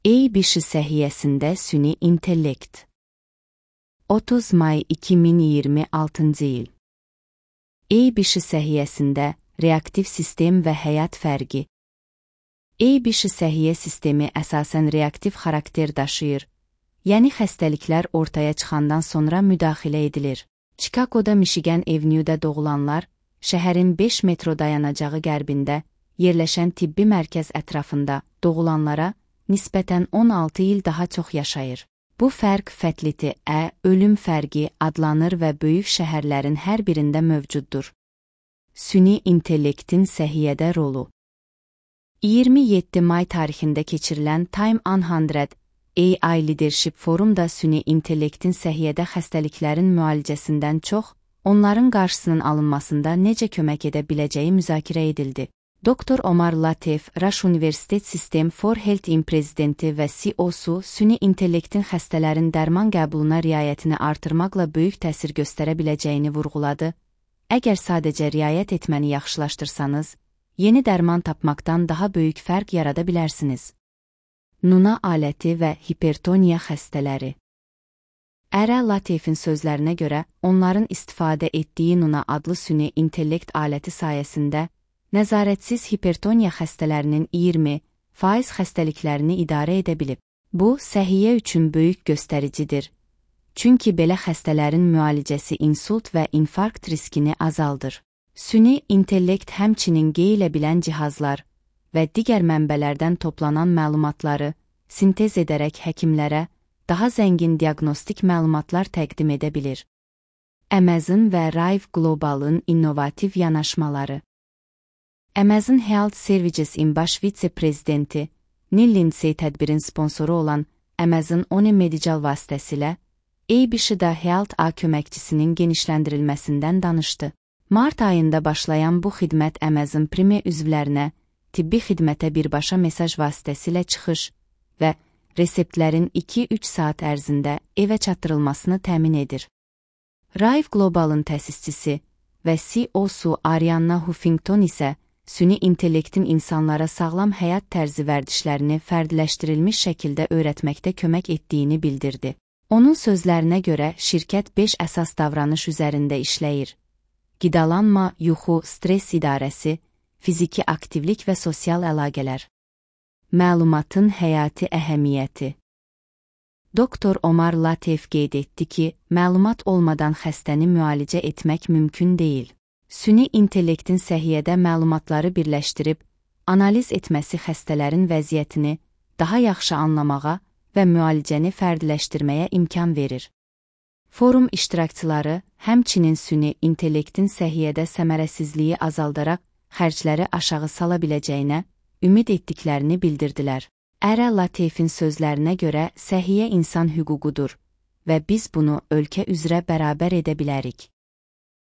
EYBİŞİ səhiyyəsində süni intellekt. 30 may 2026 il. EYBİŞİ səhiyyəsində reaktiv sistem və həyat fərqi. EYBİŞİ səhiyyə sistemi əsasən reaktiv xarakter daşıyır, yəni xəstəliklər ortaya çıxandan sonra müdaxilə edilir. Chicagoda Michigan Avenue'də doğulanlar, şəhərin 5 metro dayanacağı qərbində yerləşən tibbi mərkəz ətrafında doğulanlara nisbətən 16 il daha çox yaşayır. Bu fərq fətəliti ölüm fərqi adlanır və böyük şəhərlərin hər birində mövcuddur. Süni intellektin səhiyyədə rolu. 27 may tarixində keçirilən Time 100 AI Leadership Forumda süni intellektin səhiyyədə xəstəliklərin müalicəsindən çox, onların qarşısının alınmasında necə kömək edə biləcəyi müzakirə edildi. Dr. Omar Lateef, Rush Universitet System for Health'in prezidenti və CEO-su süni intellektin xəstələrin dərman qəbuluna riayətini artırmaqla böyük təsir göstərə biləcəyini vurğuladı. Əgər sadəcə riayət etməni yaxşılaşdırsanız, yeni dərman tapmaqdan daha böyük fərq yarada bilərsiniz. Nuna aləti və hipertoniya xəstələri. Ərə Lateefin sözlərinə görə, onların istifadə etdiyi Nuna adlı süni intellekt aləti sayəsində nəzarətsiz hipertoniya xəstələrinin 20% xəstəliklərini idarə edə bilib. Bu, səhiyyə üçün böyük göstəricidir. Çünki belə xəstələrin müalicəsi insult və infarkt riskini azaldır. Süni intellekt həmçinin qeylə bilən cihazlar və digər mənbələrdən toplanan məlumatları sintez edərək həkimlərə daha zəngin diaqnostik məlumatlar təqdim edə bilir. Amazon və Rive Global'ın innovativ yanaşmaları. Amazon Health Services-in baş vitse-prezidenti Neil Lindsay tədbirin sponsoru olan Amazon One Medical vasitəsilə EYBİŞİ-də Health A köməkçisinin genişləndirilməsindən danışdı. Mart ayında başlayan bu xidmət Amazon Prime üzvlərinə tibbi xidmətə birbaşa mesaj vasitəsilə çıxış və reseptlərin 2-3 saat ərzində evə çatdırılmasını təmin edir. Rive Global'ın təsisçisi və CEO-su Arianna Huffington isə süni intellektin insanlara sağlam həyat tərzi vərdişlərini fərdiləşdirilmiş şəkildə öyrətməkdə kömək etdiyini bildirdi. Onun sözlərinə görə şirkət 5 əsas davranış üzərində işləyir. Qidalanma, yuxu, stres idarəsi, fiziki aktivlik və sosial əlaqələr. Məlumatın həyati əhəmiyyəti. Dr. Omar Lateef qeyd etdi ki, məlumat olmadan xəstəni müalicə etmək mümkün deyil. Süni intellektin səhiyyədə məlumatları birləşdirib, analiz etməsi xəstələrin vəziyyətini daha yaxşı anlamağa və müalicəni fərdiləşdirməyə imkan verir. Forum iştirakçıları həmçinin süni intellektin səhiyyədə səmərəsizliyi azaldaraq xərcləri aşağı sala biləcəyinə ümid etdiklərini bildirdilər. Ərə Lateefin sözlərinə görə səhiyyə insan hüququdur və biz bunu ölkə üzrə bərabər edə bilərik.